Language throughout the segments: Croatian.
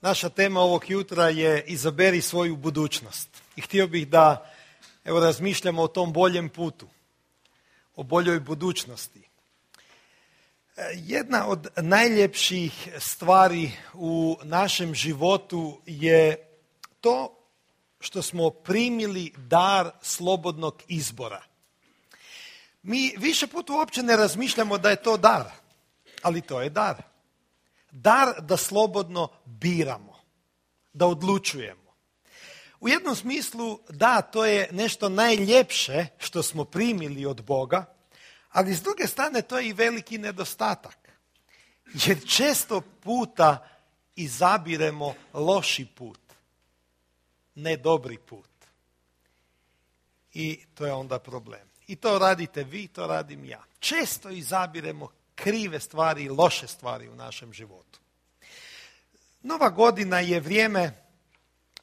Naša tema ovog jutra je izaberi svoju budućnost. I htio bih da razmišljamo o tom boljem putu, o boljoj budućnosti. Jedna od najljepših stvari u našem životu je to što smo primili dar slobodnog izbora. Mi više puta uopće ne razmišljamo da je to dar, ali to je dar. Dar da slobodno biramo, da odlučujemo. U jednom smislu, da, to je nešto najljepše što smo primili od Boga, ali s druge strane to je i veliki nedostatak. Jer često puta izabiremo loši put, ne dobri put. I to je onda problem. I to radite vi, to radim ja. Često izabiremo krive stvari i loše stvari u našem životu. Nova godina je vrijeme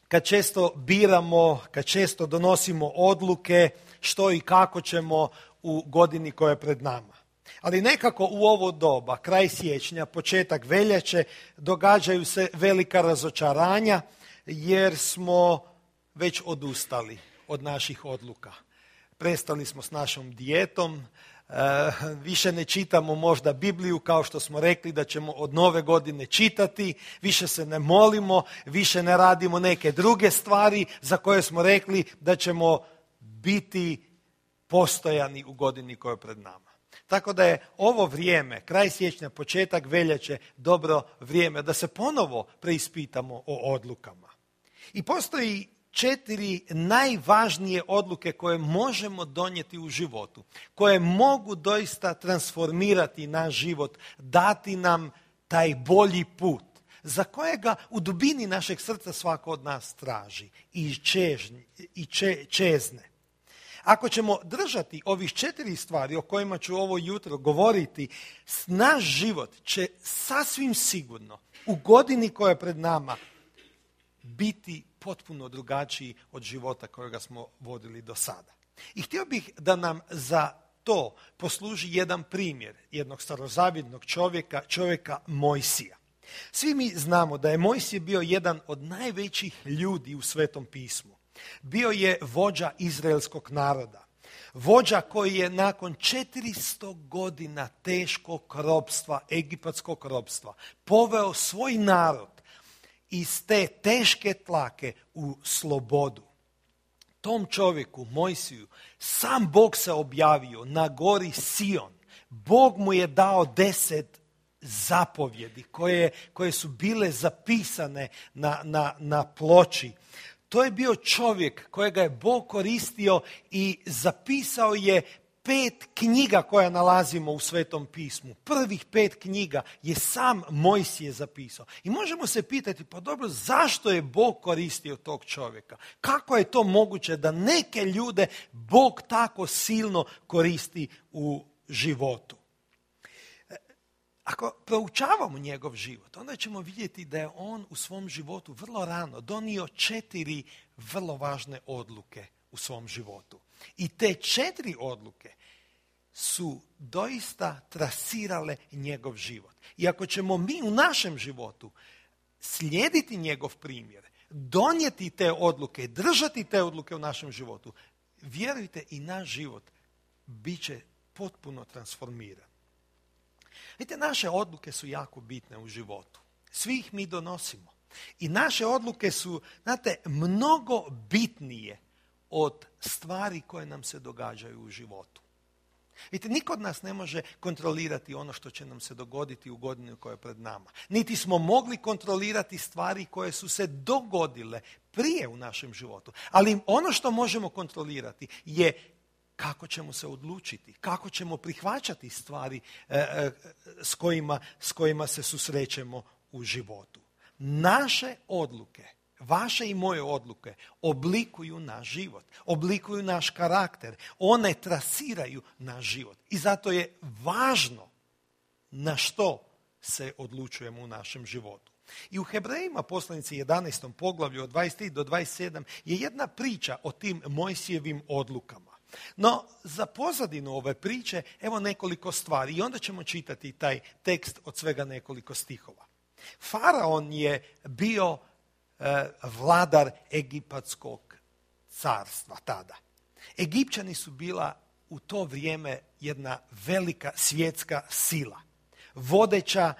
kad često biramo, kad često donosimo odluke što i kako ćemo u godini koja je pred nama. Ali nekako u ovo doba, kraj siječnja, početak veljače, događaju se velika razočaranja jer smo već odustali od naših odluka. Prestali smo s našom dijetom, više ne čitamo možda Bibliju kao što smo rekli da ćemo od nove godine čitati, više se ne molimo, više ne radimo neke druge stvari za koje smo rekli da ćemo biti postojani u godini koja je pred nama. Tako da je ovo vrijeme, kraj siječnja, početak veljače, dobro vrijeme da se ponovo preispitamo o odlukama. I postoji 4 najvažnije odluke koje možemo donijeti u životu, koje mogu doista transformirati naš život, dati nam taj bolji put, za kojega u dubini našeg srca svako od nas traži i čezne. Ako ćemo držati ovih 4 stvari o kojima ću ovo jutro govoriti, naš život će sasvim sigurno u godini koja je pred nama biti potpuno drugačiji od života kojega smo vodili do sada. I htio bih da nam za to posluži jedan primjer jednog starozavjetnog čovjeka Mojsija. Svi mi znamo da je Mojsije bio jedan od najvećih ljudi u Svetom pismu. Bio je vođa izraelskog naroda. Vođa koji je nakon 400 godina teškog ropstva, egipatskog ropstva, poveo svoj narod iz te teške tlake u slobodu. Tom čovjeku, Mojsiju, sam Bog se objavio na gori Sion. Bog mu je dao 10 zapovjedi koje su bile zapisane na ploči. To je bio čovjek kojega je Bog koristio i zapisao je 5 knjiga koja nalazimo u Svetom pismu. Prvih 5 knjiga je sam Mojsije zapisao. I možemo se pitati, pa dobro, zašto je Bog koristio tog čovjeka? Kako je to moguće da neke ljude Bog tako silno koristi u životu? Ako proučavamo njegov život, onda ćemo vidjeti da je on u svom životu vrlo rano donio 4 vrlo važne odluke u svom životu. I te 4 odluke su doista trasirale njegov život. I ako ćemo mi u našem životu slijediti njegov primjer, donijeti te odluke, držati te odluke u našem životu, vjerujte, i naš život bit će potpuno transformiran. Vidite, naše odluke su jako bitne u životu. Svi ih mi donosimo. I naše odluke su, znate, mnogo bitnije od stvari koje nam se događaju u životu. Vidite, niko od nas ne može kontrolirati ono što će nam se dogoditi u godini koja je pred nama. Niti smo mogli kontrolirati stvari koje su se dogodile prije u našem životu. Ali ono što možemo kontrolirati je kako ćemo se odlučiti, kako ćemo prihvaćati stvari s kojima se susrećemo u životu. Naše odluke, vaše i moje odluke oblikuju naš život, oblikuju naš karakter, one trasiraju naš život. I zato je važno na što se odlučujemo u našem životu. I u Hebrejima poslanici 11. poglavlju od 23 do 27 je jedna priča o tim Mojsijevim odlukama. No, za pozadinu ove priče, evo nekoliko stvari i onda ćemo čitati taj tekst od svega nekoliko stihova. Faraon je bio vladar Egipatskog carstva tada. Egipćani su bila u to vrijeme jedna velika svjetska sila, vodeća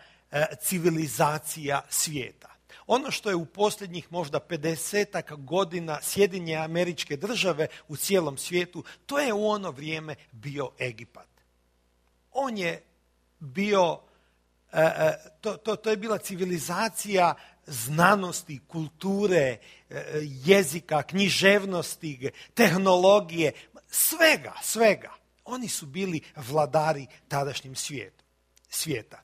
civilizacija svijeta. Ono što je u posljednjih možda 50 godina Sjedinjene Američke Države u cijelom svijetu, to je u ono vrijeme bio Egipat. On je bio, to je bila civilizacija znanosti, kulture, jezika, književnosti, tehnologije, svega. Oni su bili vladari tadašnjim svijeta.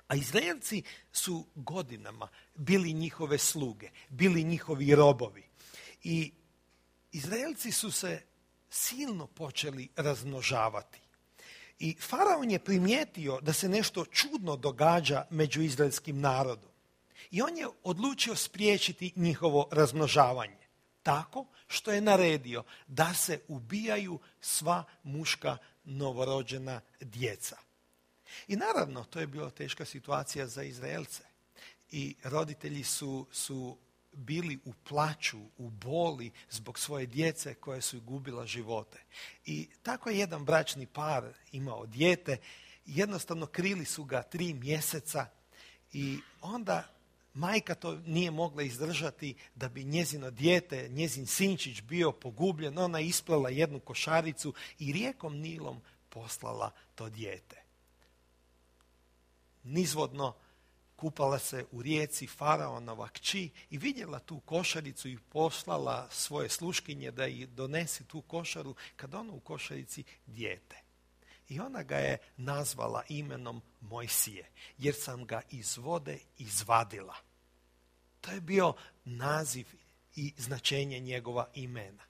A Izraelci su godinama bili njihove sluge, bili njihovi robovi. I Izraelci su se silno počeli razmnožavati. I Faraon je primijetio da se nešto čudno događa među izraelskim narodom. I on je odlučio spriječiti njihovo razmnožavanje. Tako što je naredio da se ubijaju sva muška novorođena djeca. I naravno, to je bila teška situacija za Izraelce. I roditelji su bili u plaću, u boli zbog svoje djece koje su gubila živote. I tako je jedan bračni par imao dijete. Jednostavno krili su ga 3 mjeseca i onda majka to nije mogla izdržati da bi njezino dijete, njezin sinčić bio pogubljen. Ona je isplala jednu košaricu i rijekom Nilom poslala to dijete. Nizvodno kupala se u rijeci Faraonova kći i vidjela tu košaricu i poslala svoje sluškinje da ih donese tu košaru, kad ono u košarici dijete. I ona ga je nazvala imenom Mojsije, jer sam ga iz vode izvadila. To je bio naziv i značenje njegova imena.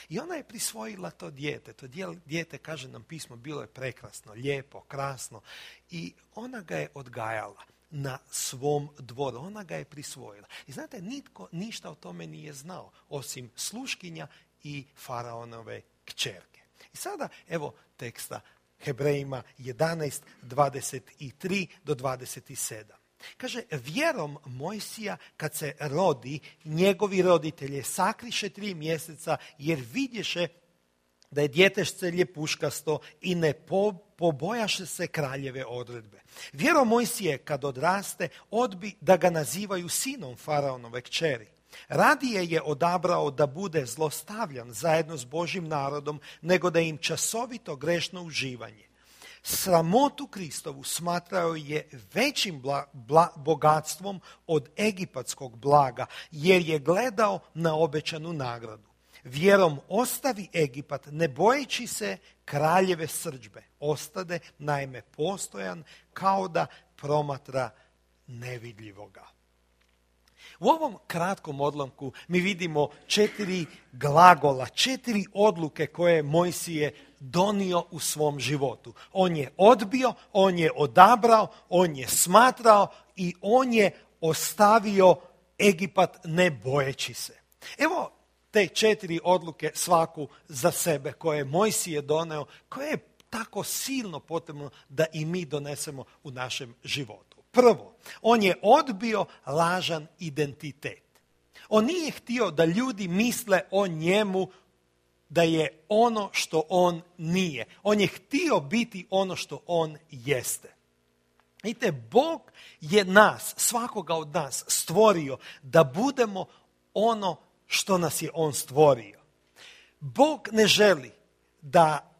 I ona je prisvojila to dijete. To dijete, kaže nam pismo, bilo je prekrasno, lijepo, krasno. I ona ga je odgajala na svom dvoru. Ona ga je prisvojila. I znate, nitko ništa o tome nije znao, osim sluškinja i Faraonove kćerke. I sada, evo teksta Hebrejima 11, 23 do 27. Kaže, vjerom Mojsija kad se rodi, njegovi roditelje sakriše 3 mjeseca jer vidješe da je djetešce ljepuškasto i ne pobojaše se kraljeve odredbe. Vjerom Mojsije kad odraste, odbi da ga nazivaju sinom Faraonove kćeri. Radije je odabrao da bude zlostavljan zajedno s Božjim narodom, nego da im časovito grešno uživanje. Sramotu Kristovu smatrao je većim bogatstvom od egipatskog blaga, jer je gledao na obećanu nagradu. Vjerom ostavi Egipat, ne bojeći se kraljeve srdžbe. Ostade naime postojan kao da promatra nevidljivoga. U ovom kratkom odlomku mi vidimo 4 glagola, 4 odluke koje je Mojsije donio u svom životu. On je odbio, on je odabrao, on je smatrao i on je ostavio Egipat ne bojeći se. Evo te 4 odluke svaku za sebe koje je Mojsije doneo, koje je tako silno potrebno da i mi donesemo u našem životu. Prvo, on je odbio lažan identitet. On nije htio da ljudi misle o njemu da je ono što on nije. On je htio biti ono što on jeste. Vidite, Bog je nas, svakoga od nas, stvorio da budemo ono što nas je on stvorio. Bog ne želi da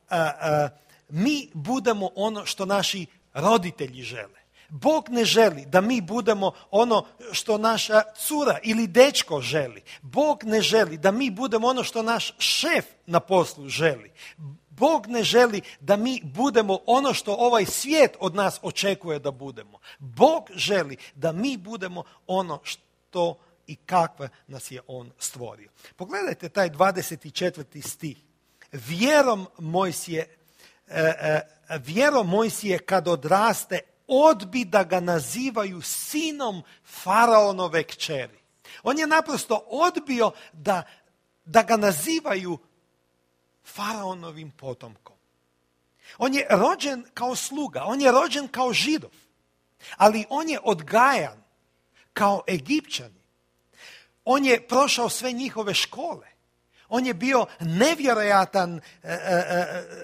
mi budemo ono što naši roditelji žele. Bog ne želi da mi budemo ono što naša cura ili dečko želi. Bog ne želi da mi budemo ono što naš šef na poslu želi. Bog ne želi da mi budemo ono što ovaj svijet od nas očekuje da budemo. Bog želi da mi budemo ono što i kakve nas je on stvorio. Pogledajte taj 24. stih. Vjerom Mojsije kad odraste, odbi da ga nazivaju sinom Faraonove kćeri. On je naprosto odbio da ga nazivaju Faraonovim potomkom. On je rođen kao sluga, on je rođen kao Židov, ali on je odgajan kao Egipćani. On je prošao sve njihove škole. On je bio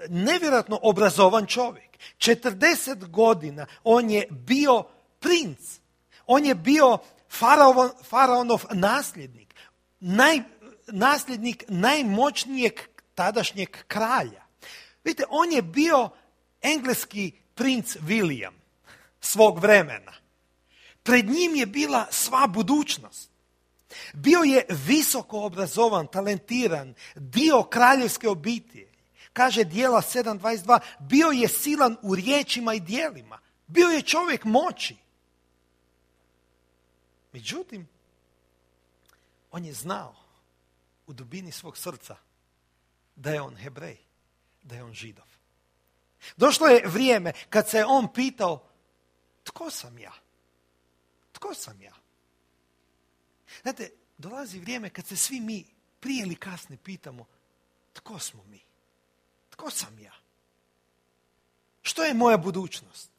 nevjerojatno obrazovan čovjek. 40 godina on je bio princ. On je bio faraonov nasljednik. Nasljednik najmoćnijeg tadašnjeg kralja. Vidite, on je bio engleski princ William svog vremena. Pred njim je bila sva budućnost. Bio je visoko obrazovan, talentiran, dio kraljevske obitelji. Kaže Djela 7.22, bio je silan u riječima i djelima. Bio je čovjek moći. Međutim, on je znao u dubini svog srca da je on Hebrej, da je on Židov. Došlo je vrijeme kad se on pitao, tko sam ja? Tko sam ja? Znate, dolazi vrijeme kad se svi mi prije ili kasnije pitamo, tko smo mi? Tko sam ja? Što je moja budućnost?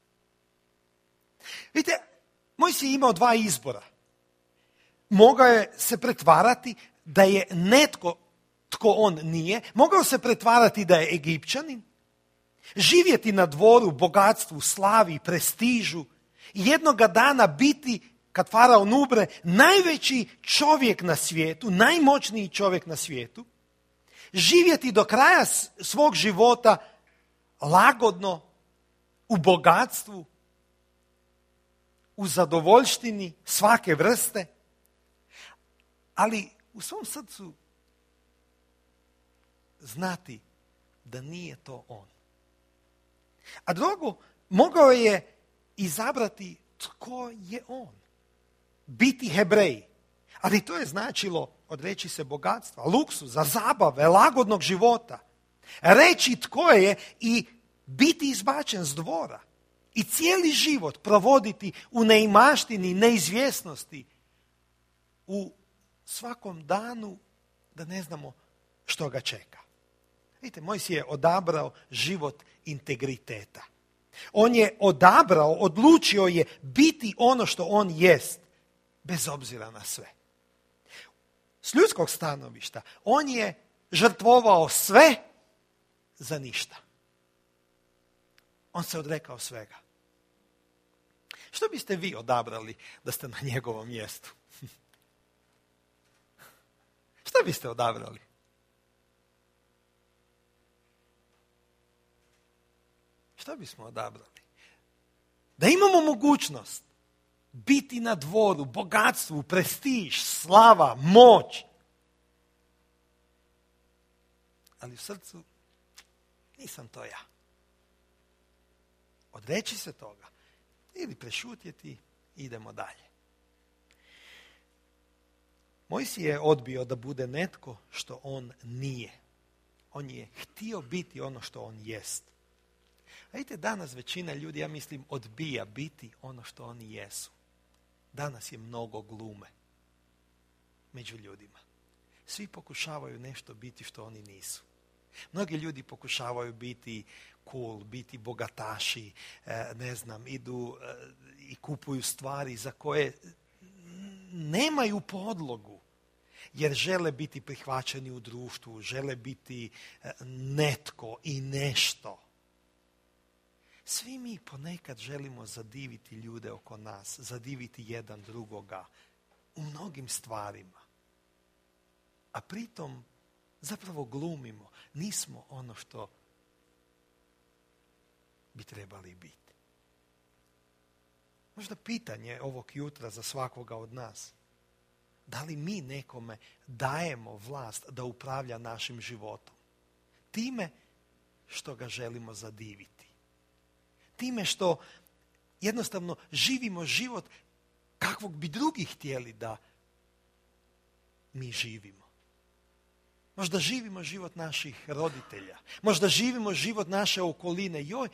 Vidite, Mojsije je imao dva izbora. Mogao je se pretvarati da je netko tko on nije. Mogao se pretvarati da je Egipćanin. Živjeti na dvoru, bogatstvu, slavi, prestižu. I jednoga dana biti, kad faraon umre, najveći čovjek na svijetu, najmoćniji čovjek na svijetu. Živjeti do kraja svog života lagodno, u bogatstvu, u zadovoljštini svake vrste. Ali u svom srcu znati da nije to on. A drugo, mogao je izabrati tko je on. Biti Hebrej. Ali to je značilo odreći se bogatstva, luksuza, zabave, lagodnog života. Reći tko je i biti izbačen s dvora. I cijeli život provoditi u neimaštini, neizvjesnosti. U svakom danu da ne znamo što ga čeka. Vidite, Mojsije je odabrao život integriteta. On je odabrao, odlučio je biti ono što on jest, bez obzira na sve. S ljudskog stanovišta, on je žrtvovao sve za ništa. On se odrekao svega. Što biste vi odabrali da ste na njegovom mjestu? Što biste odabrali? Što bismo odabrali? Da imamo mogućnost biti na dvoru, bogatstvu, prestiž, slava, moć. Ali u srcu nisam to ja. Odreći se toga ili prešutjeti i idemo dalje. Mojsije je odbio da bude netko što on nije. On je htio biti ono što on jest. A vidite, danas većina ljudi, ja mislim, odbija biti ono što oni jesu. Danas je mnogo glume među ljudima. Svi pokušavaju nešto biti što oni nisu. Mnogi ljudi pokušavaju biti cool, biti bogataši, idu i kupuju stvari za koje nemaju podlogu, jer žele biti prihvaćeni u društvu, žele biti netko i nešto. Svi mi ponekad želimo zadiviti ljude oko nas, zadiviti jedan drugoga u mnogim stvarima. A pritom zapravo glumimo, nismo ono što bi trebali biti. Možda pitanje ovog jutra za svakoga od nas. Da li mi nekome dajemo vlast da upravlja našim životom? Time što ga želimo zadiviti. Time što jednostavno živimo život kakvog bi drugi htjeli da mi živimo. Možda živimo život naših roditelja. Možda živimo život naše okoline. Joj,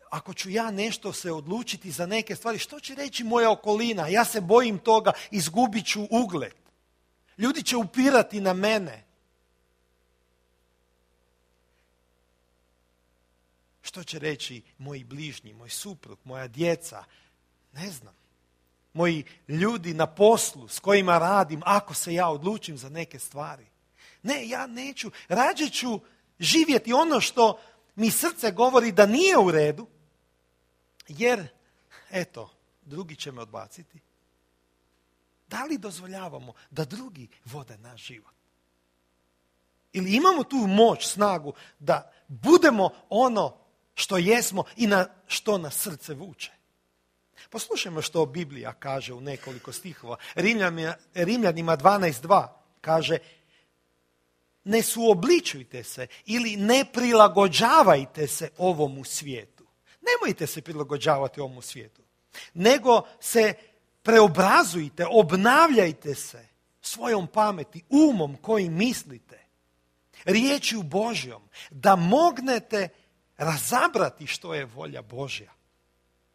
ako ću ja nešto se odlučiti za neke stvari, što će reći moja okolina? Ja se bojim toga, izgubit ću ugled. Ljudi će upirati na mene. Što će reći moji bližnji, moj suprug, moja djeca? Ne znam. moji ljudi na poslu s kojima radim, ako se ja odlučim za neke stvari. Ne, ja neću. Rađe ću živjeti ono što mi srce govori da nije u redu, jer, eto, drugi će me odbaciti. Da li dozvoljavamo da drugi vode naš život? Ili imamo tu moć, snagu da budemo ono što jesmo i na što nas srce vuče? Poslušajmo što Biblija kaže u nekoliko stihova. Rimljanima 12.2 kaže: ne suobličujte se ili ne prilagođavajte se ovomu svijetu. Nemojte se prilagođavati ovomu svijetu, nego se preobrazujte, obnavljajte se svojom pameti, umom kojim mislite, riječju Božjom, da mognete razabrati što je volja Božja,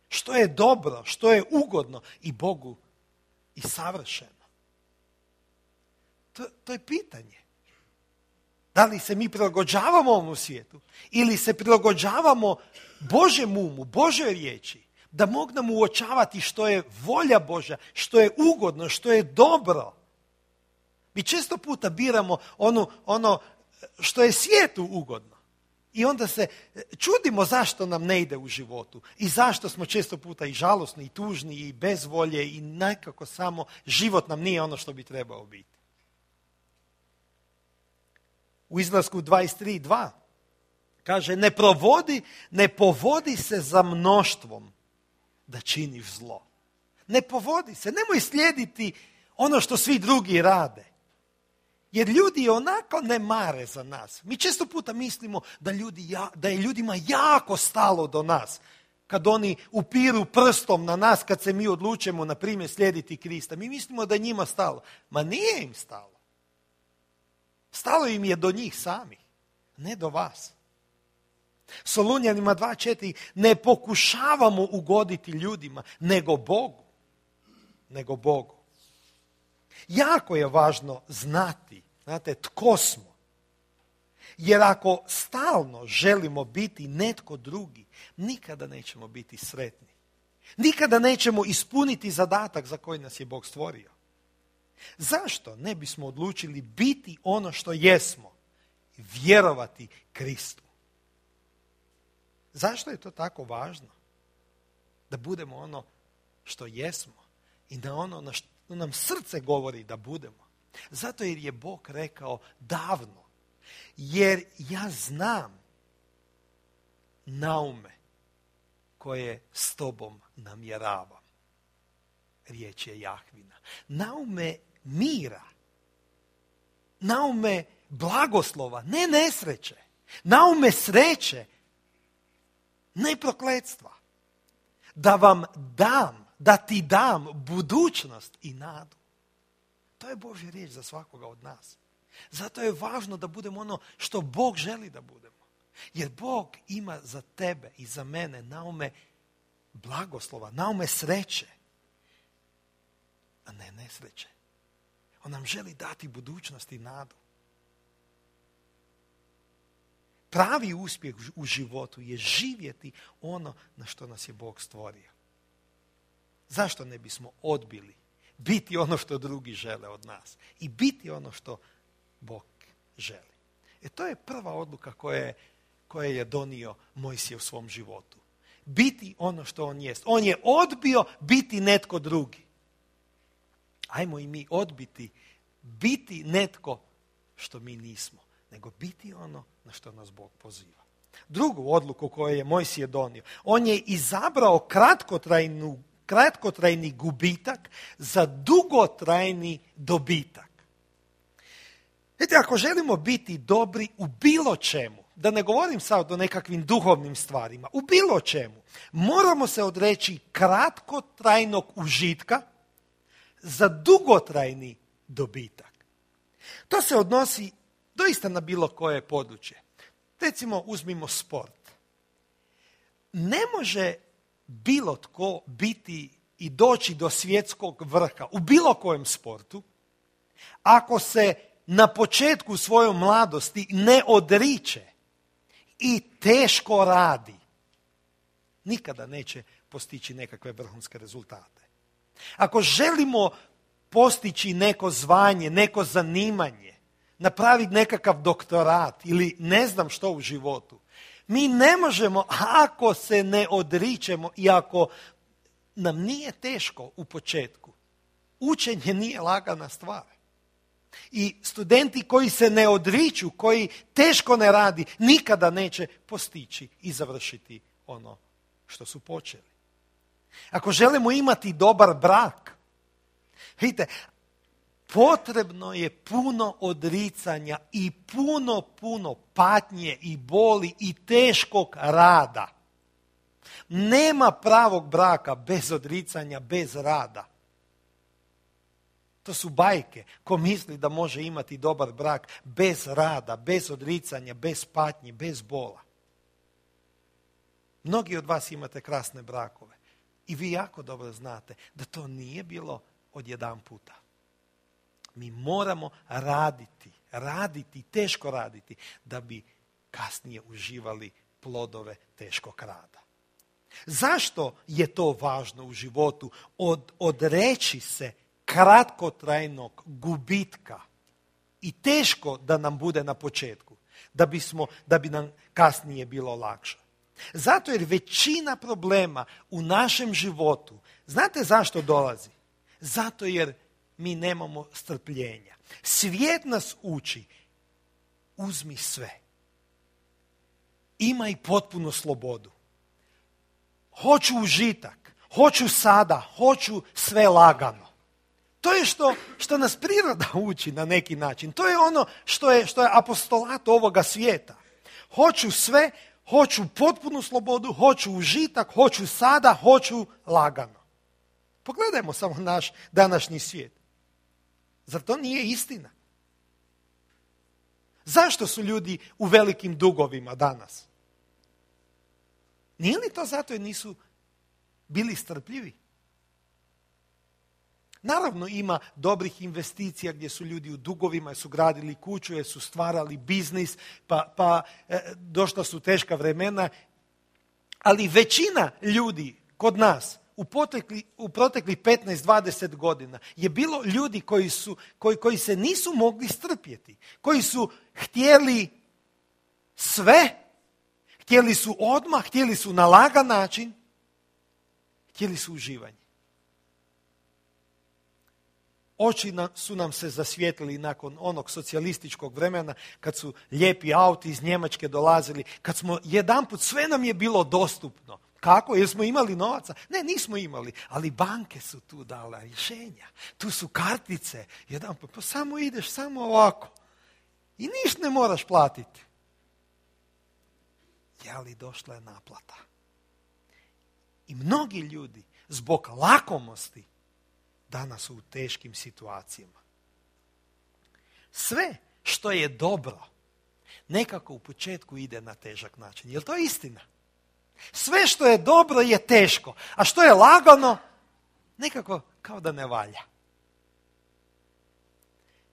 što je dobro, što je ugodno i Bogu i savršeno. To je pitanje. Da li se mi prilagođavamo ovom svijetu ili se prilagođavamo Božjem umu, Božjoj riječi, da mognemo uočavati što je volja Božja, što je ugodno, što je dobro. Mi često puta biramo ono što je svijetu ugodno. I onda se čudimo zašto nam ne ide u životu i zašto smo često puta i žalosni, i tužni, i bez volje, i nekako samo život nam nije ono što bi trebao biti. U Izlasku 23.2 kaže: ne povodi se za mnoštvom da činiš zlo. Ne povodi se, nemoj slijediti ono što svi drugi rade. Jer ljudi onako ne mare za nas. Mi često puta mislimo da je ljudima jako stalo do nas. Kad oni upiru prstom na nas, kad se mi odlučimo, na primjer, slijediti Krista. Mi mislimo da je njima stalo. Ma nije im stalo. Stalo im je do njih samih, ne do vas. Solunjanima 2.4: ne pokušavamo ugoditi ljudima, nego Bogu. Nego Bogu. Jako je važno znati, tko smo. Jer ako stalno želimo biti netko drugi, nikada nećemo biti sretni. Nikada nećemo ispuniti zadatak za koji nas je Bog stvorio. Zašto ne bismo odlučili biti ono što jesmo i vjerovati Kristu? Zašto je to tako važno? Da budemo ono što jesmo i da ono na što nam srce govori da budemo. Zato jer je Bog rekao davno: jer ja znam naume koje s tobom namjeravam. Riječ je Jahvina. Naume mira. Naume blagoslova, ne nesreće. Naume sreće, ne prokletstva. Da vam dam, da ti dam budućnost i nadu. To je Božja riječ za svakoga od nas. Zato je važno da budemo ono što Bog želi da budemo. Jer Bog ima za tebe i za mene naume blagoslova, naume sreće, a ne nesreće. On nam želi dati budućnost i nadu. Pravi uspjeh u životu je živjeti ono na što nas je Bog stvorio. Zašto ne bismo odbili biti ono što drugi žele od nas i biti ono što Bog želi? To je prva odluka koje je donio Mojsije u svom životu. Biti ono što on jest. On je odbio biti netko drugi. Ajmo i mi odbiti biti netko što mi nismo, nego biti ono na što nas Bog poziva. Drugu odluku koju je Mojsije donio, on je izabrao kratkotrajni gubitak za dugotrajni dobitak. Vidite, ako želimo biti dobri u bilo čemu, da ne govorim sad o nekakvim duhovnim stvarima, u bilo čemu, moramo se odreći kratkotrajnog užitka za dugotrajni dobitak. To se odnosi doista na bilo koje područje. Recimo, uzmimo sport. Ne može bilo tko biti i doći do svjetskog vrha u bilo kojem sportu ako se na početku svoje mladosti ne odriče i teško radi. Nikada neće postići nekakve vrhunske rezultate. Ako želimo postići neko zvanje, neko zanimanje, napraviti nekakav doktorat ili ne znam što u životu, mi ne možemo ako se ne odričemo i ako nam nije teško u početku. Učenje nije lagana stvar. I studenti koji se ne odriču, koji teško ne radi, nikada neće postići i završiti ono što su počeli. Ako želimo imati dobar brak, vidite, potrebno je puno odricanja i puno patnje i boli i teškog rada. Nema pravog braka bez odricanja, bez rada. To su bajke. Ko misli da može imati dobar brak bez rada, bez odricanja, bez patnje, bez bola. Mnogi od vas imate krasne brakove. I vi jako dobro znate da to nije bilo odjedanputa. Mi moramo raditi, teško raditi, da bi kasnije uživali plodove teškog rada. Zašto je to važno u životu? Odreći se kratkotrajnog gubitka i teško da nam bude na početku, da bi nam kasnije bilo lakše. Zato jer većina problema u našem životu, znate zašto dolazi? Zato jer mi nemamo strpljenja. Svijet nas uči, uzmi sve. Imaj potpunu slobodu. Hoću užitak, hoću sada, hoću sve lagano. To je što nas priroda uči na neki način. To je ono što je apostolat ovoga svijeta. Hoću sve, hoću potpunu slobodu, hoću užitak, hoću sada, hoću lagano. Pogledajmo samo naš današnji svijet. Zar to nije istina? Zašto su ljudi u velikim dugovima danas? Nije li to zato jer nisu bili strpljivi? Naravno ima dobrih investicija gdje su ljudi u dugovima, jer su gradili kuću, jer su stvarali biznis, pa došla su teška vremena. Ali većina ljudi kod nas u protekli 15-20 godina je bilo ljudi koji se nisu mogli strpjeti, koji su htjeli sve, htjeli su odmah, htjeli su na lagan način, htjeli su uživanje. Oči su nam se zasvijetlili nakon onog socijalističkog vremena, kad su lijepi auti iz Njemačke dolazili, kad smo jedanput, sve nam je bilo dostupno. Kako? Jer smo imali novaca? Ne, nismo imali, ali banke su tu dale rješenja. Tu su kartice. Jedanput, pa samo ideš, samo ovako. I ništa ne moraš platiti. Ali došla je naplata. I mnogi ljudi zbog lakomosti danas su u teškim situacijama. Sve što je dobro nekako u početku ide na težak način. Je li to istina? Sve što je dobro je teško, a što je lagano nekako kao da ne valja.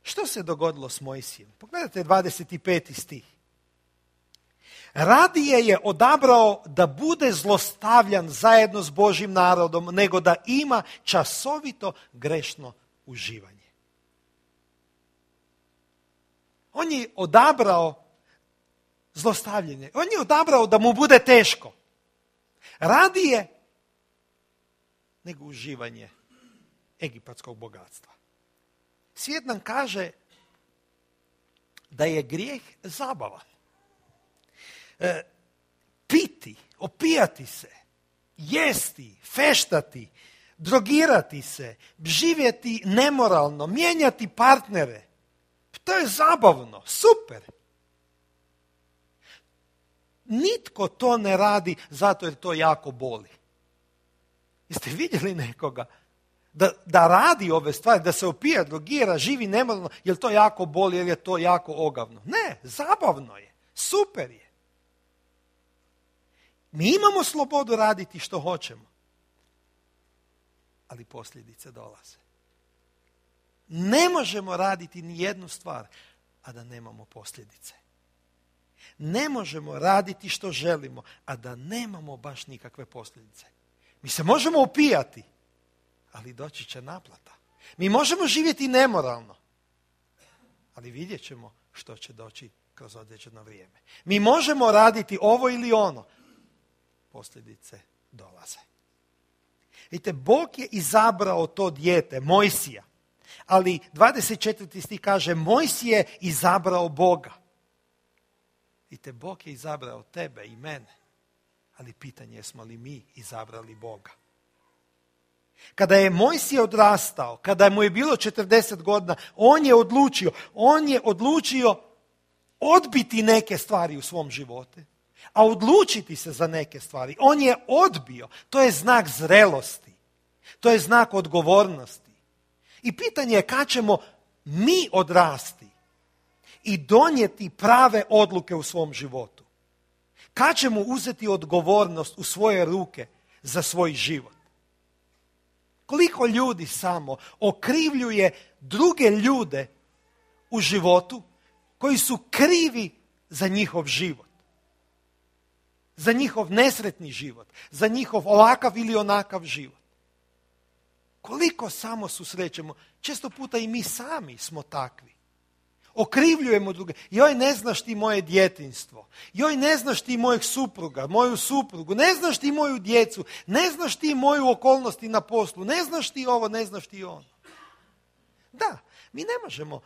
Što se dogodilo s Mojsijem? Pogledajte 25. stih. Radije je odabrao da bude zlostavljan zajedno s Božjim narodom, nego da ima časovito grešno uživanje. On je odabrao zlostavljanje. On je odabrao da mu bude teško. Radije nego uživanje egipatskog bogatstva. Svijet nam kaže da je grijeh zabavan. Piti, opijati se, jesti, feštati, drogirati se, živjeti nemoralno, mijenjati partnere. To je zabavno, super. Nitko to ne radi zato jer to jako boli. Jeste vidjeli nekoga da radi ove stvari, da se opija, drogira, živi nemoralno, jer to jako boli, jer je to jako ogavno? Ne, zabavno je, super je. Mi imamo slobodu raditi što hoćemo, ali posljedice dolaze. Ne možemo raditi ni jednu stvar, a da nemamo posljedice. Ne možemo raditi što želimo, a da nemamo baš nikakve posljedice. Mi se možemo opijati, ali doći će naplata. Mi možemo živjeti nemoralno, ali vidjet ćemo što će doći kroz određeno vrijeme. Mi možemo raditi ovo ili ono, posljedice dolaze. Vidite, Bog je izabrao to dijete, Mojsija, ali 24. stih kaže, Mojsije je izabrao Boga. Vidite, Bog je izabrao tebe i mene, ali pitanje je smo li mi izabrali Boga. Kada je Mojsije odrastao, kada mu je bilo 40 godina, on je odlučio odbiti neke stvari u svom životu, a odlučiti se za neke stvari. On je odbio. To je znak zrelosti. To je znak odgovornosti. I pitanje je kad ćemo mi odrasti i donijeti prave odluke u svom životu. Kad ćemo uzeti odgovornost u svoje ruke za svoj život. Koliko ljudi samo okrivljuje druge ljude u životu koji su krivi za njihov život. Za njihov nesretni život. Za njihov ovakav ili onakav život. Koliko samo susrećemo, često puta i mi sami smo takvi. Okrivljujemo druge. Joj, ne znaš ti moje djetinjstvo. Joj, ne znaš ti mojeg supruga, moju suprugu. Ne znaš ti moju djecu. Ne znaš ti moju okolnosti na poslu. Ne znaš ti ovo, ne znaš ti ono. Da, mi ne možemo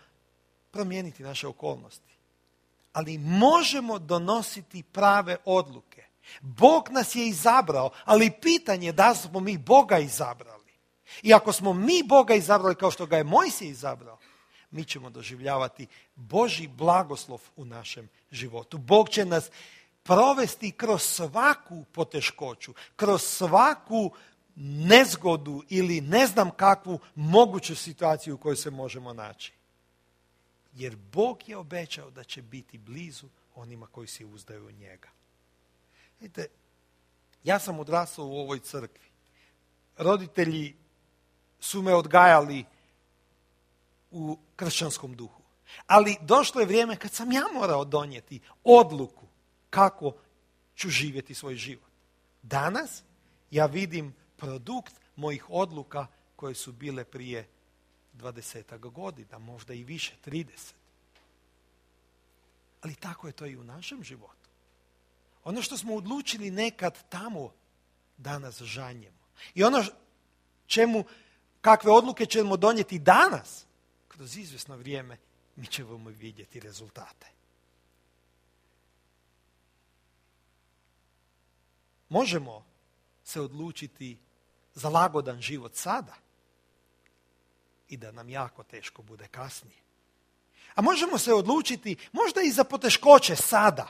promijeniti naše okolnosti. Ali možemo donositi prave odluke. Bog nas je izabrao, ali pitanje je da smo mi Boga izabrali. I ako smo mi Boga izabrali kao što ga je Mojsije izabrao, mi ćemo doživljavati Božji blagoslov u našem životu. Bog će nas provesti kroz svaku poteškoću, kroz svaku nezgodu ili ne znam kakvu moguću situaciju u kojoj se možemo naći. Jer Bog je obećao da će biti blizu onima koji se uzdaju u njega. Vidite, ja sam odrastao u ovoj crkvi. Roditelji su me odgajali u kršćanskom duhu. Ali došlo je vrijeme kad sam ja morao donijeti odluku kako ću živjeti svoj život. Danas ja vidim produkt mojih odluka koje su bile prije 20 godina, možda i više, 30. Ali tako je to i u našem životu. Ono što smo odlučili nekad tamo, danas žanjemo. I ono kakve odluke ćemo donijeti danas, kroz izvjesno vrijeme, mi ćemo vidjeti rezultate. Možemo se odlučiti za lagodan život sada i da nam jako teško bude kasnije. A možemo se odlučiti možda i za poteškoće sada,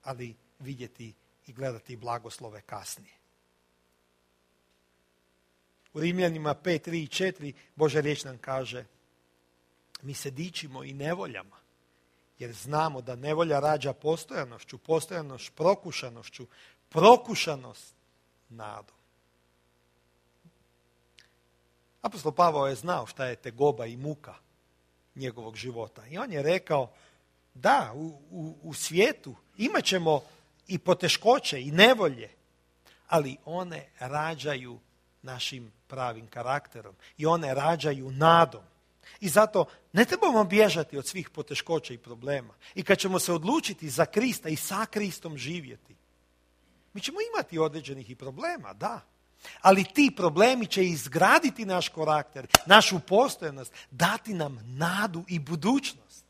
ali vidjeti i gledati blagoslove kasnije. U Rimljanima 5, 3 i 4 Božja riječ nam kaže: mi se dičimo i nevoljama, jer znamo da nevolja rađa postojanošću, postojanost prokušanošću, prokušanost nadom. Apostol Pavao je znao šta je tegoba i muka njegovog života. I on je rekao, da, u svijetu imat ćemo i poteškoće i nevolje, ali one rađaju našim pravim karakterom i one rađaju nadom. I zato ne trebamo bježati od svih poteškoća i problema. I kad ćemo se odlučiti za Krista i sa Kristom živjeti, mi ćemo imati određenih i problema, da. Ali ti problemi će izgraditi naš karakter, našu postojanost, dati nam nadu i budućnost,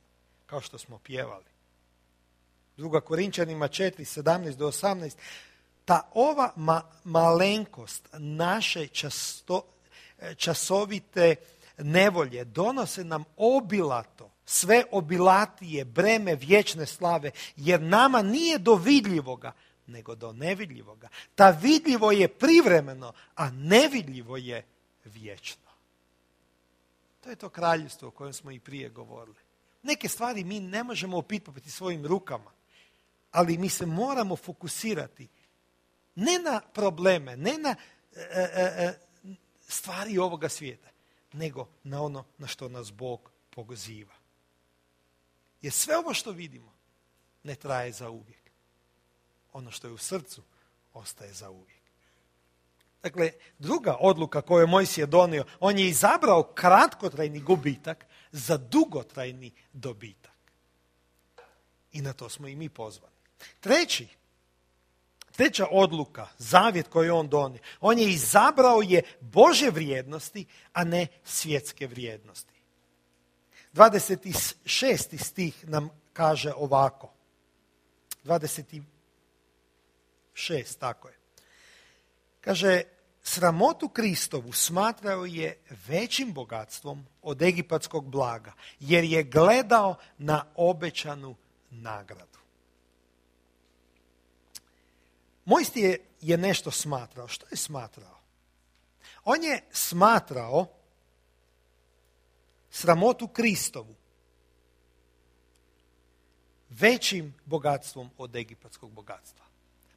kao što smo pjevali. 2. Korinčanima 4, 17 do 18. Ta ova malenkost naše časovite nevolje donose nam obilato, sve obilatije breme vječne slave, jer nama nije do vidljivoga, nego do nevidljivoga. Ta vidljivo je privremeno, a nevidljivo je vječno. To je to kraljevstvo o kojem smo i prije govorili. Neke stvari mi ne možemo opipati svojim rukama, ali mi se moramo fokusirati ne na probleme, ne na stvari ovoga svijeta, nego na ono na što nas Bog poziva. Jer sve ovo što vidimo ne traje za uvijek. Ono što je u srcu ostaje za uvijek. Dakle, druga odluka koju je Mojsije donio, on je izabrao kratkotrajni gubitak za dugotrajni dobitak. I na to smo i mi pozvani. Treća odluka, zavjet koji je on donio, on je izabrao Božje vrijednosti, a ne svjetske vrijednosti. 26. stih nam kaže ovako. 26, tako je. Kaže, sramotu Kristovu smatrao je većim bogatstvom od egipatskog blaga, jer je gledao na obećanu nagradu. Mojsije je nešto smatrao. Što je smatrao? On je smatrao sramotu Kristovu većim bogatstvom od egipatskog bogatstva.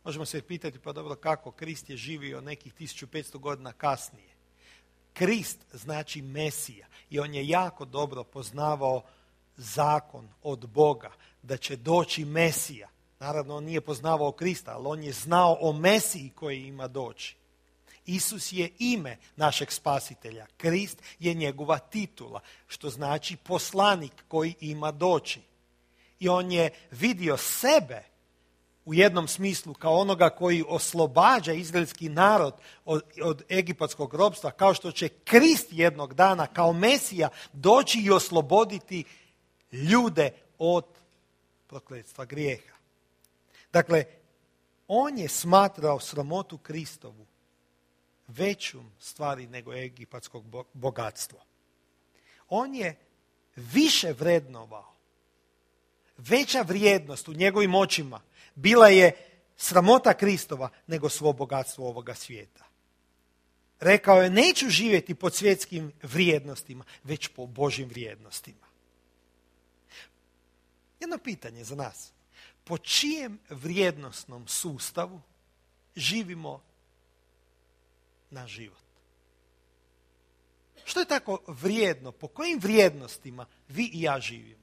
Možemo se pitati, pa dobro, kako? Krist je živio nekih 1500 godina kasnije. Krist znači Mesija i on je jako dobro poznavao zakon od Boga da će doći Mesija. Naravno, on nije poznavao Krista, ali on je znao o Mesiji koji ima doći. Isus je ime našeg spasitelja. Krist je njegova titula, što znači poslanik koji ima doći. I on je vidio sebe u jednom smislu kao onoga koji oslobađa izraelski narod od egipatskog ropstva, kao što će Krist jednog dana kao Mesija doći i osloboditi ljude od prokletstva grijeha. Dakle, on je smatrao sramotu Kristovu većom stvari nego egipatskog bogatstvo. On je više vrednovao, veća vrijednost u njegovim očima bila je sramota Kristova nego svo bogatstvo ovoga svijeta. Rekao je, neću živjeti po svjetskim vrijednostima, već po Božjim vrijednostima. Jedno pitanje za nas. Po čijem vrijednosnom sustavu živimo na život? Što je tako vrijedno? Po kojim vrijednostima vi i ja živimo?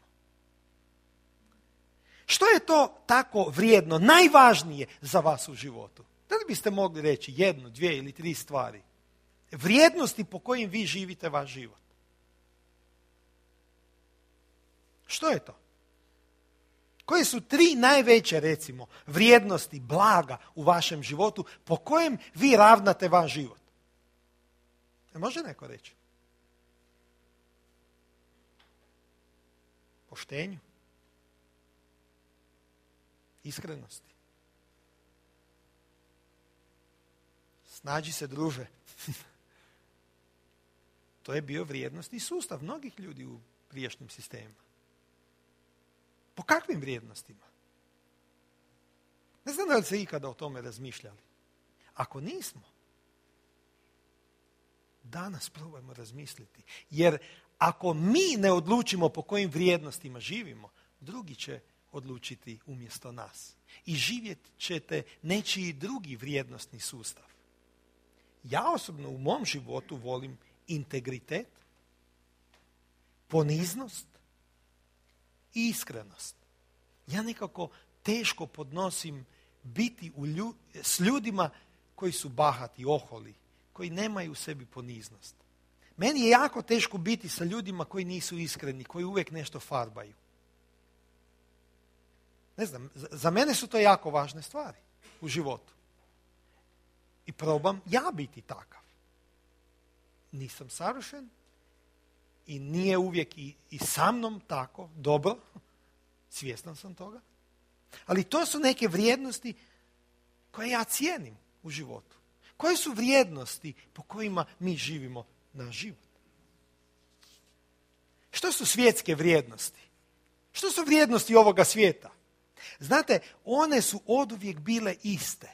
Što je to tako vrijedno, najvažnije za vas u životu? Da li biste mogli reći 1, 2 ili 3 stvari? Vrijednosti po kojim vi živite vaš život. Što je to? Koje su 3 najveće, recimo, vrijednosti, blaga u vašem životu po kojem vi ravnate vaš život? Može neko reći? Poštenju. Iskrenosti. Snađi se, druže. To je bio vrijednostni sustav mnogih ljudi u prijašnjim sistemima. Po kakvim vrijednostima? Ne znam da li se ikada o tome razmišljali. Ako nismo, danas probajmo razmisliti. Jer ako mi ne odlučimo po kojim vrijednostima živimo, drugi će odlučiti umjesto nas. I živjet ćete nečiji drugi vrijednosni sustav. Ja osobno u mom životu volim integritet, poniznost i iskrenost. Ja nekako teško podnosim biti s ljudima koji su bahati, oholi, koji nemaju u sebi poniznost. Meni je jako teško biti sa ljudima koji nisu iskreni, koji uvijek nešto farbaju. Ne znam, za mene su to jako važne stvari u životu. I probam ja biti takav. Nisam savršen i nije uvijek i sa mnom tako dobro. Svjestan sam toga. Ali to su neke vrijednosti koje ja cijenim u životu. Koje su vrijednosti po kojima mi živimo naš život? Što su svjetske vrijednosti? Što su vrijednosti ovoga svijeta? Znate, one su oduvijek bile iste.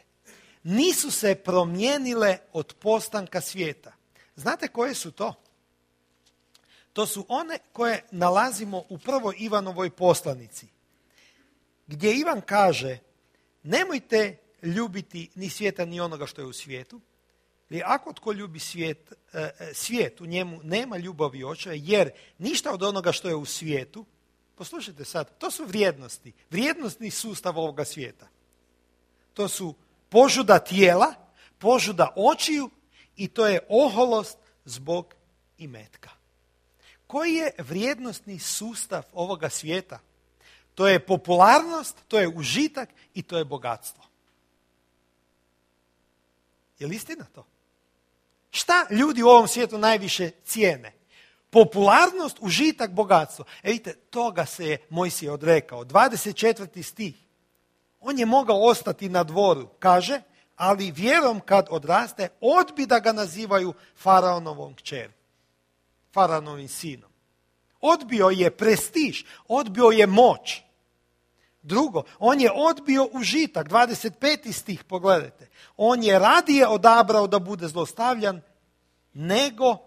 Nisu se promijenile od postanka svijeta. Znate koje su to? To su one koje nalazimo u 1. Ivanovoj poslanici. Gdje Ivan kaže, nemojte ljubiti ni svijeta ni onoga što je u svijetu. Jer ako tko ljubi svijet, u njemu nema ljubavi očeva, jer ništa od onoga što je u svijetu, poslušajte sad, to su vrijednosti, vrijednostni sustav ovoga svijeta. To su požuda tijela, požuda očiju i to je oholost zbog imetka. Koji je vrijednosni sustav ovoga svijeta? To je popularnost, to je užitak i to je bogatstvo. Je li istina to? Šta ljudi u ovom svijetu najviše cijene? Popularnost, užitak, bogatstvo. Vidite, toga se je Mojsije odrekao. 24. stih. On je mogao ostati na dvoru, kaže, ali vjerom kad odraste, odbi da ga nazivaju faraonovom kćeri, faraonovim sinom. Odbio je prestiž, odbio je moć. Drugo, on je odbio užitak, 25. stih, pogledajte. On je radije odabrao da bude zlostavljan nego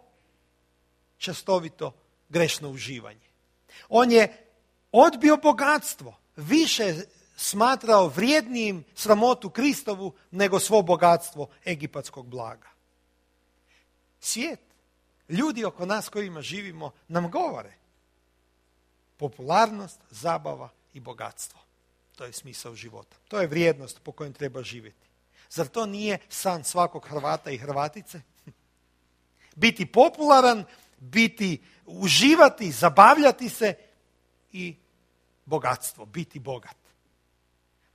častovito grešno uživanje. On je odbio bogatstvo, više smatrao vrijednijim sramotu Kristovu nego svo bogatstvo egipatskog blaga. Svijet, ljudi oko nas kojima živimo nam govore. Popularnost, zabava i bogatstvo. To je smisao života. To je vrijednost po kojem treba živjeti. Zar to nije san svakog Hrvata i Hrvatice? Biti popularan, uživati, zabavljati se i bogatstvo, biti bogat.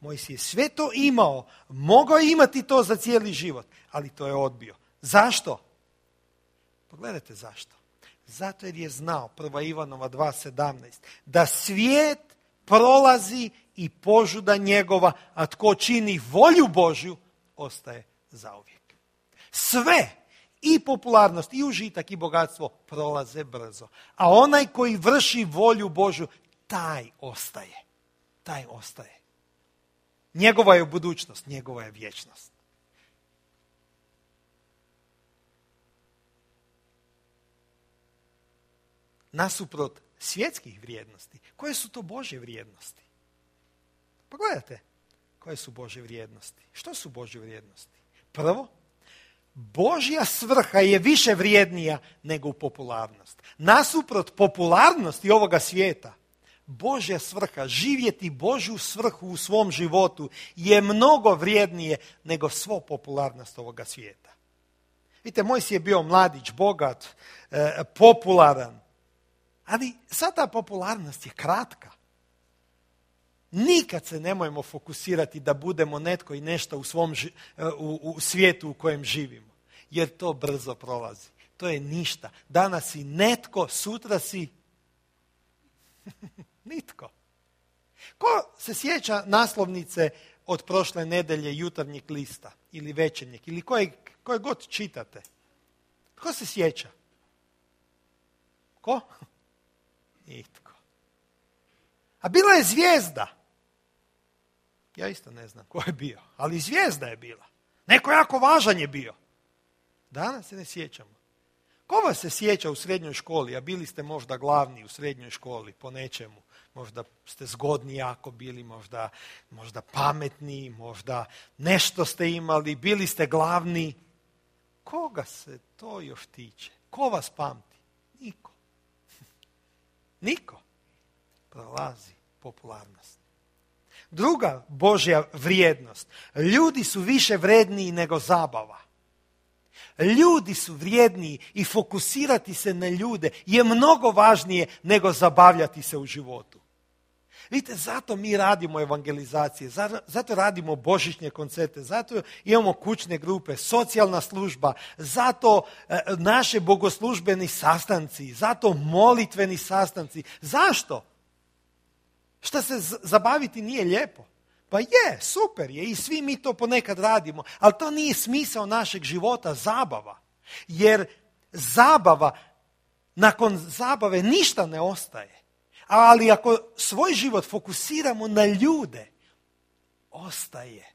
Mojsije je sve to imao, mogao je imati to za cijeli život, ali to je odbio. Zašto? Pogledajte zašto. Zato jer je znao, 1. Ivanova 2.17, da svijet prolazi i požuda njegova, a tko čini volju Božju, ostaje zauvijek. Sve, i popularnost, i užitak, i bogatstvo prolaze brzo. A onaj koji vrši volju Božju, taj ostaje. Taj ostaje. Njegova je budućnost, njegova je vječnost. Nasuprot svjetskih vrijednosti, koje su to Božje vrijednosti? Pogledajte, koje su Božje vrijednosti. Što su Božje vrijednosti? Prvo, Božja svrha je više vrijednija nego popularnost. Nasuprot popularnosti ovoga svijeta, Božja svrha, živjeti Božju svrhu u svom životu je mnogo vrijednije nego svo popularnost ovoga svijeta. Vidite, Mojsije je bio mladić, bogat, popularan, ali sad ta popularnost je kratka. Nikad se nemojmo fokusirati da budemo netko i nešto u svijetu u kojem živimo. Jer to brzo prolazi. To je ništa. Danas si netko, sutra si nitko. Ko se sjeća naslovnice od prošle nedelje Jutarnjeg lista ili Večernjeg ili koje god čitate? Ko se sjeća? Ko? Nitko. A bila je zvijezda. Ja isto ne znam ko je bio, ali zvijezda je bila. Neko jako važan je bio. Danas se ne sjećamo. Ko vas se sjeća u srednjoj školi, a bili ste možda glavni u srednjoj školi po nečemu? Možda ste zgodni jako bili, možda pametni, možda nešto ste imali, bili ste glavni. Koga se to još tiče? Ko vas pamti? Niko. Niko. Prolazi popularnost. Druga Božja vrijednost. Ljudi su više vredniji nego zabava. Ljudi su vrijedniji i fokusirati se na ljude je mnogo važnije nego zabavljati se u životu. Vidite, zato mi radimo evangelizacije, zato radimo božićne koncerte, zato imamo kućne grupe, socijalna služba, zato naše bogoslužbeni sastanci, zato molitveni sastanci. Zašto? Šta se zabaviti nije lijepo? Pa je, super je i svi mi to ponekad radimo, ali to nije smisao našeg života, zabava. Jer nakon zabave ništa ne ostaje. Ali ako svoj život fokusiramo na ljude, ostaje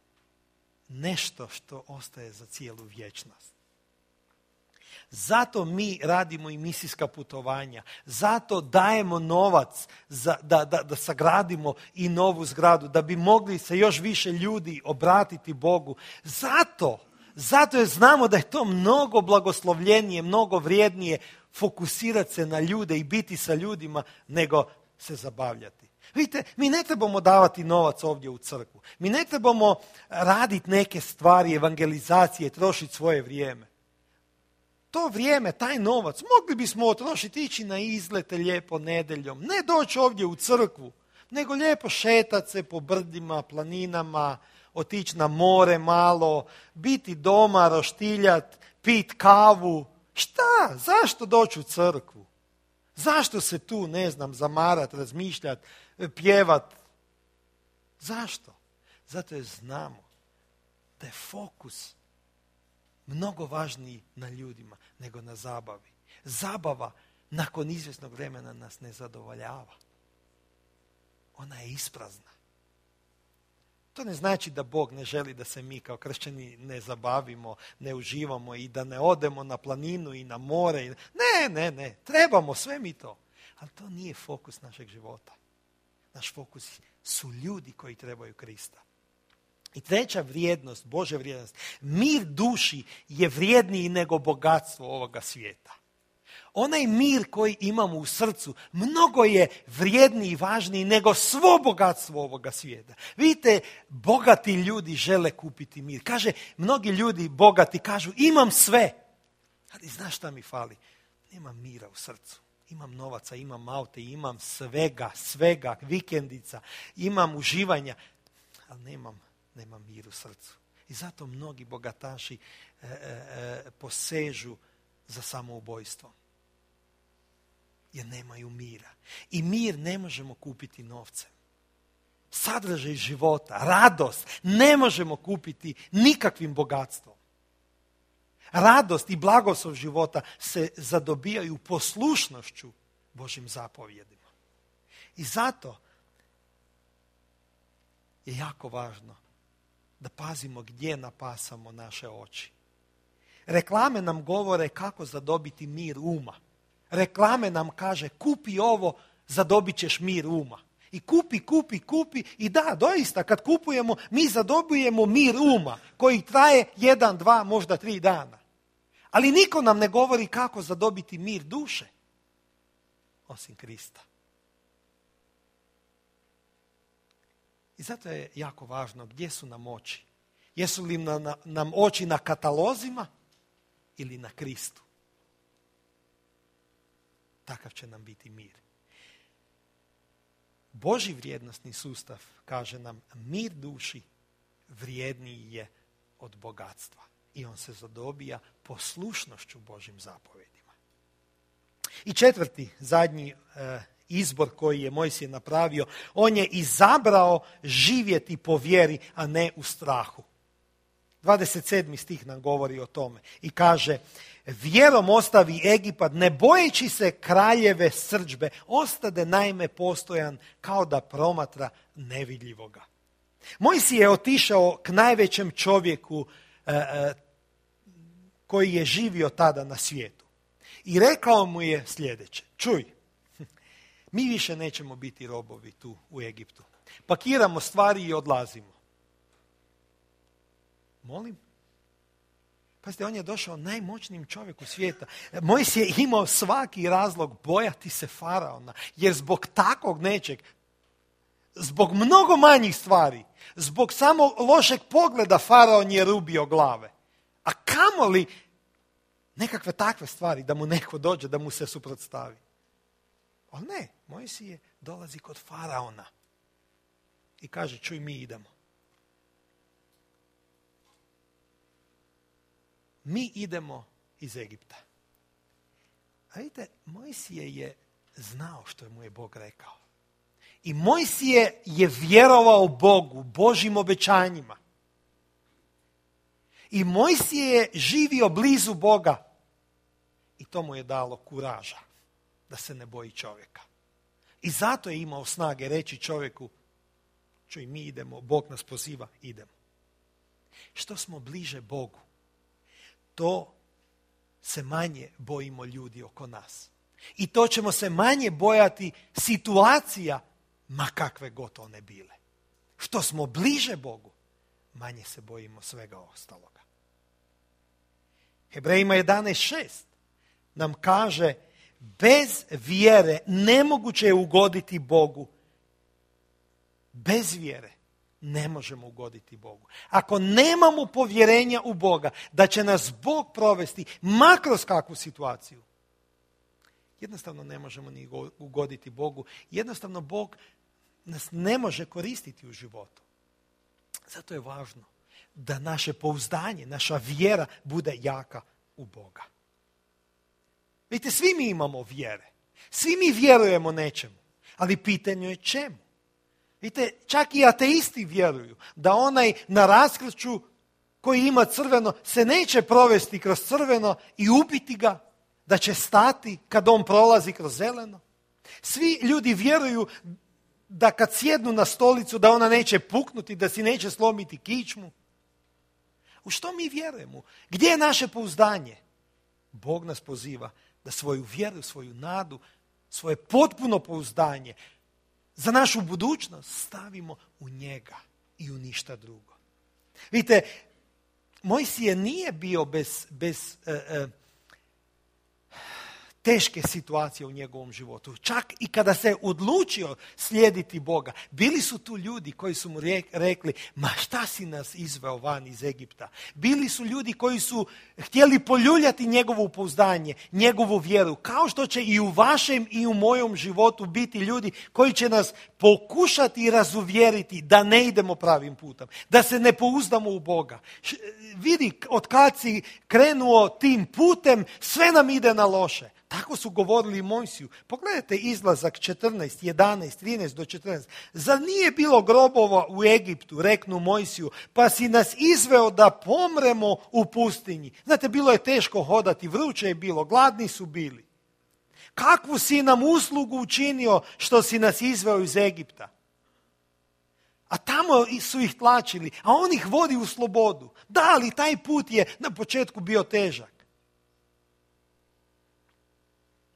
nešto što ostaje za cijelu vječnost. Zato mi radimo i misijska putovanja, zato dajemo novac da sagradimo i novu zgradu, da bi mogli se još više ljudi obratiti Bogu. Zato jer znamo da je to mnogo blagoslovljenije, mnogo vrijednije fokusirati se na ljude i biti sa ljudima nego se zabavljati. Vidite, mi ne trebamo davati novac ovdje u crkvu. Mi ne trebamo raditi neke stvari, evangelizacije, trošiti svoje vrijeme. To vrijeme, taj novac, mogli bismo otrošiti, ići na izlete lijepo nedeljom. Ne doći ovdje u crkvu, nego lijepo šetati se po brdima, planinama, otići na more malo, biti doma, roštiljati, pit kavu. Šta? Zašto doći u crkvu? Zašto se tu, ne znam, zamarat, razmišljat, pjevat? Zašto? Zato jer znamo da je fokus mnogo važniji na ljudima nego na zabavi. Zabava nakon izvjesnog vremena nas ne zadovoljava. Ona je isprazna. To ne znači da Bog ne želi da se mi kao kršćani ne zabavimo, ne uživamo i da ne odemo na planinu i na more. Ne, trebamo sve mi to. Ali to nije fokus našeg života. Naš fokus su ljudi koji trebaju Krista. I treća vrijednost, Božja vrijednost, mir duši je vrijedniji nego bogatstvo ovoga svijeta. Onaj mir koji imamo u srcu mnogo je vrijedniji i važniji nego svo bogatstvo ovoga svijeta. Vidite, bogati ljudi žele kupiti mir. Kaže, mnogi ljudi bogati kažu, imam sve. Ali znaš šta mi fali? Nemam mira u srcu. Imam novaca, imam aute, imam svega, vikendica, imam uživanja, ali nemam mir u srcu. I zato mnogi bogataši posežu za samoubojstvom. Jer nemaju mira. I mir ne možemo kupiti novcem. Sadržaj života, radost ne možemo kupiti nikakvim bogatstvom. Radost i blagoslov života se zadobijaju poslušnošću Božjim zapovjedima. I zato je jako važno da pazimo gdje napasamo naše oči. Reklame nam govore kako zadobiti mir uma. Reklame nam kaže kupi ovo, zadobit ćeš mir uma. I kupi i da, doista kad kupujemo mi zadobijemo mir uma koji traje 1, 2, možda 3 dana. Ali niko nam ne govori kako zadobiti mir duše osim Krista. I zato je jako važno gdje su nam oči. Jesu li nam oči na katalozima ili na Kristu? Takav će nam biti mir. Božji vrijednosni sustav kaže nam mir duši vrijedniji je od bogatstva. I on se zadobija poslušnošću Božjim zapovjedima. I četvrti, zadnji izbor koji je Mojsije napravio, on je izabrao živjeti po vjeri, a ne u strahu. 27. stih nam govori o tome i kaže, vjerom ostavi Egipat, ne bojeći se kraljeve srdžbe, ostade naime postojan kao da promatra nevidljivoga. Mojsije je otišao k najvećem čovjeku koji je živio tada na svijetu. I rekao mu je sljedeće, čuj, mi više nećemo biti robovi tu u Egiptu. Pakiramo stvari i odlazimo. Molim? Pazite, on je došao najmoćnijim čovjeku svijeta. Mojsije je imao svaki razlog bojati se faraona, jer zbog takvog nečeg, zbog mnogo manjih stvari, zbog samo lošeg pogleda faraon je rubio glave. A kamoli nekakve takve stvari da mu neko dođe, da mu se suprotstavi. Ali ne, Mojsije dolazi kod faraona i kaže, čuj, mi idemo. Mi idemo iz Egipta. A vidite, Mojsije je znao što mu je Bog rekao. I Mojsije je vjerovao Bogu, Božjim obećanjima. I Mojsije je živio blizu Boga. I to mu je dalo kuraža da se ne boji čovjeka. I zato je imao snage reći čovjeku, čuj, mi idemo, Bog nas poziva, idemo. Što smo bliže Bogu, to se manje bojimo ljudi oko nas. I to ćemo se manje bojati situacija, ma kakve god one bile. Što smo bliže Bogu, manje se bojimo svega ostaloga. Hebrejima 11.6 nam kaže, bez vjere nemoguće je ugoditi Bogu, bez vjere ne možemo ugoditi Bogu. Ako nemamo povjerenja u Boga da će nas Bog provesti ma kroz kakvu situaciju, jednostavno ne možemo ni ugoditi Bogu. Jednostavno Bog nas ne može koristiti u životu. Zato je važno da naše pouzdanje, naša vjera bude jaka u Boga. Vidite, svi mi imamo vjere. Svi mi vjerujemo nečemu. Ali pitanje je čemu? Vidite, čak i ateisti vjeruju da onaj na raskršću koji ima crveno se neće provesti kroz crveno i ubiti ga, da će stati kad on prolazi kroz zeleno. Svi ljudi vjeruju da kad sjednu na stolicu da ona neće puknuti, da si neće slomiti kičmu. U što mi vjerujemo? Gdje je naše pouzdanje? Bog nas poziva da svoju vjeru, svoju nadu, svoje potpuno pouzdanje za našu budućnost stavimo u njega i u ništa drugo. Vidite, Mojsije nije bio bez teške situacije u njegovom životu. Čak i kada se odlučio slijediti Boga, bili su tu ljudi koji su mu rekli, ma šta si nas izveo van iz Egipta? Bili su ljudi koji su htjeli poljuljati njegovo pouzdanje, njegovu vjeru, kao što će i u vašem i u mojom životu biti ljudi koji će nas pokušati razuvjeriti da ne idemo pravim putem, da se ne pouzdamo u Boga. Vidi, od kad si krenuo tim putem, sve nam ide na loše. Tako su govorili Mojsiju. Pogledajte Izlazak 14, 11, 13 do 14. Zar nije bilo grobova u Egiptu, reknu Mojsiju, pa si nas izveo da pomremo u pustinji. Znate, bilo je teško hodati, vruće je bilo, gladni su bili. Kakvu si nam uslugu učinio što si nas izveo iz Egipta? A tamo su ih tlačili, a on ih vodi u slobodu. Da, ali taj put je na početku bio težak.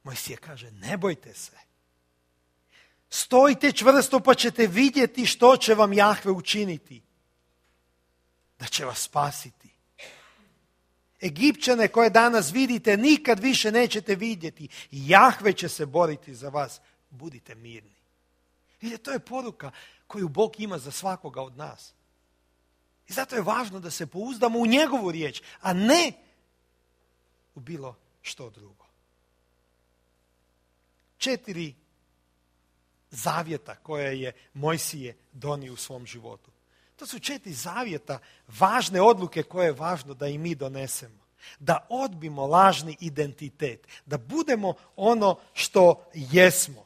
Mojsije kaže, ne bojte se. Stojite čvrsto pa ćete vidjeti što će vam Jahve učiniti. Da će vas spasiti. Egipćane koje danas vidite nikad više nećete vidjeti. Jahve će se boriti za vas. Budite mirni. Vidite, to je poruka koju Bog ima za svakoga od nas. I zato je važno da se pouzdamo u njegovu riječ, a ne u bilo što drugo. 4 zavjeta koje je Mojsije donio u svom životu. To su 4 zavjeta, važne odluke koje je važno da i mi donesemo. Da odbimo lažni identitet, da budemo ono što jesmo.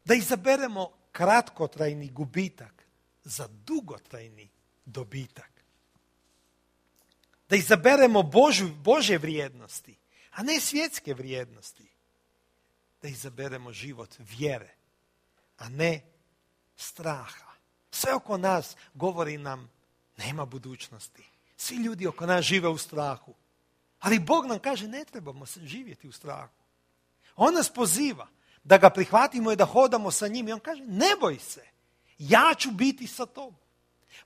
Da izaberemo kratkotrajni gubitak za dugotrajni dobitak. Da izaberemo Božje vrijednosti, a ne svjetske vrijednosti. Da izaberemo život vjere, a ne straha. Sve oko nas govori nam nema budućnosti. Svi ljudi oko nas žive u strahu. Ali Bog nam kaže ne trebamo živjeti u strahu. On nas poziva da ga prihvatimo i da hodamo sa njim. I on kaže ne boj se, ja ću biti sa tobom.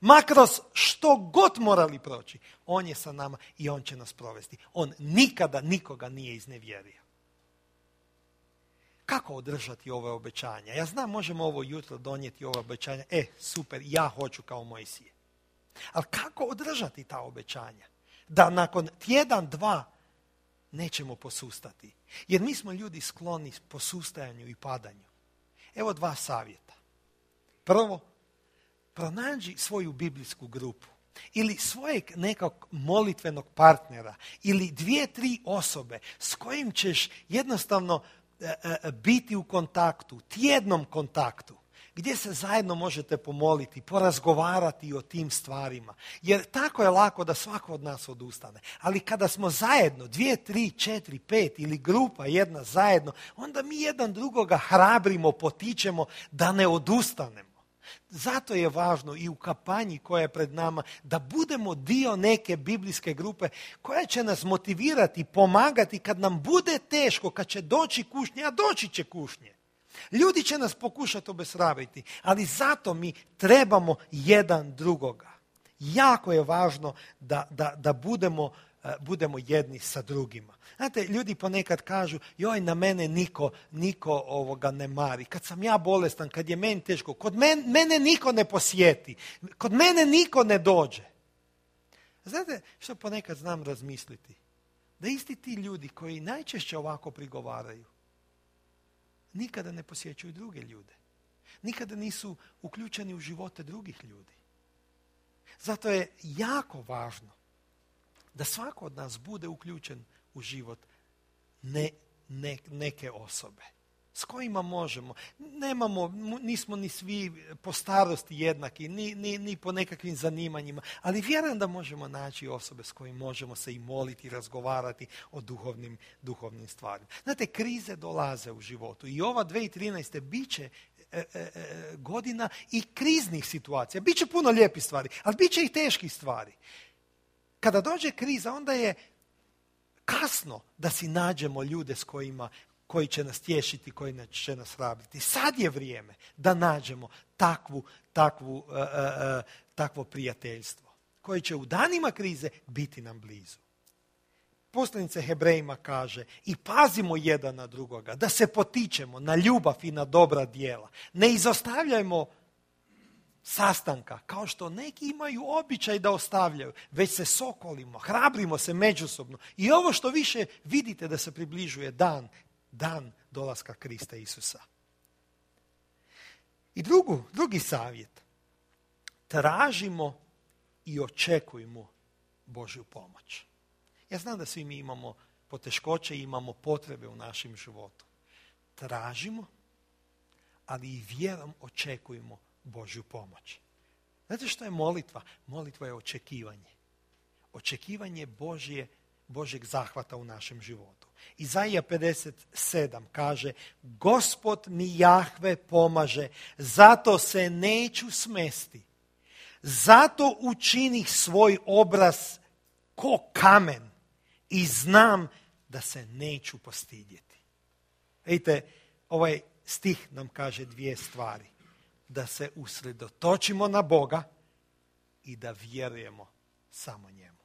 Ma kroz što god morali proći, on je sa nama i on će nas provesti. On nikada nikoga nije iznevjerio. Kako održati ove obećanja? Ja znam, možemo ovo jutro donijeti ove obećanja. Super, ja hoću kao Mojsije. Ali kako održati ta obećanja? Da nakon tjedan, 2 nećemo posustati. Jer mi smo ljudi skloni posustajanju i padanju. Evo 2 savjeta. Prvo, pronađi svoju biblijsku grupu. Ili svojeg nekog molitvenog partnera. Ili 2-3 osobe s kojim ćeš jednostavno biti u kontaktu, tjednom kontaktu, gdje se zajedno možete pomoliti, porazgovarati o tim stvarima. Jer tako je lako da svako od nas odustane. Ali kada smo zajedno, 2, 3, 4, 5 ili grupa jedna zajedno, onda mi jedan drugoga hrabrimo, potičemo da ne odustanemo. Zato je važno i u kampanji koja je pred nama da budemo dio neke biblijske grupe koja će nas motivirati, pomagati kad nam bude teško, kad će doći kušnje, a doći će kušnje. Ljudi će nas pokušati obeshrabriti, ali zato mi trebamo jedan drugoga. Jako je važno da budemo budemo jedni sa drugima. Znate, ljudi ponekad kažu, joj, na mene niko ne mari. Kad sam ja bolestan, kad je meni teško, kod mene niko ne posjeti, kod mene niko ne dođe. Znate što ponekad znam razmisliti? Da isti ti ljudi koji najčešće ovako prigovaraju, nikada ne posjećuju druge ljude. Nikada nisu uključeni u živote drugih ljudi. Zato je jako važno da svako od nas bude uključen u život neke osobe s kojima možemo. Nismo ni svi po starosti jednaki, ni po nekakvim zanimanjima, ali vjerujem da možemo naći osobe s kojima možemo se i moliti, razgovarati o duhovnim stvarima. Znate, krize dolaze u životu i ova 2013. bit će godina i kriznih situacija. Biće puno lijepih stvari, ali bit će i teških stvari. Kada dođe kriza, onda je kasno da si nađemo ljude s koji će nas tješiti, koji će nas hrabriti. Sad je vrijeme da nađemo takvo prijateljstvo koje će u danima krize biti nam blizu. Poslanica Hebrejima kaže, i pazimo jedan na drugoga, da se potičemo na ljubav i na dobra djela. Ne izostavljajmo sastanka, kao što neki imaju običaj da ostavljaju, već se sokolimo, hrabrimo se međusobno. I ovo što više vidite da se približuje dan dolaska Krista Isusa. I drugi savjet. Tražimo i očekujmo Božju pomoć. Ja znam da svi mi imamo poteškoće i imamo potrebe u našem životu. Tražimo, ali i vjerom očekujemo Božju pomoć. Znate što je molitva? Molitva je očekivanje. Očekivanje Božjeg zahvata u našem životu. Izaija 57 kaže, Gospod mi Jahve pomaže, zato se neću smesti. Zato učinih svoj obraz ko kamen i znam da se neću postidjeti. Vidite, ovaj stih nam kaže dvije stvari. Da se usredotočimo na Boga i da vjerujemo samo njemu.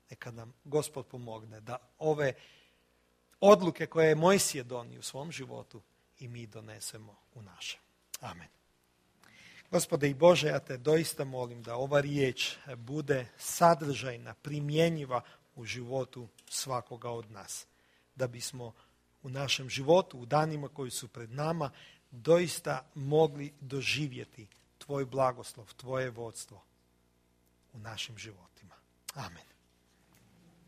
Neka nam Gospod pomogne da ove odluke koje je Mojsije donio u svom životu i mi donesemo u našem. Amen. Gospode i Bože, ja te doista molim da ova riječ bude sadržajna, primjenjiva u životu svakoga od nas. Da bismo u našem životu, u danima koji su pred nama, doista mogli doživjeti tvoj blagoslov, tvoje vodstvo u našim životima. Amen.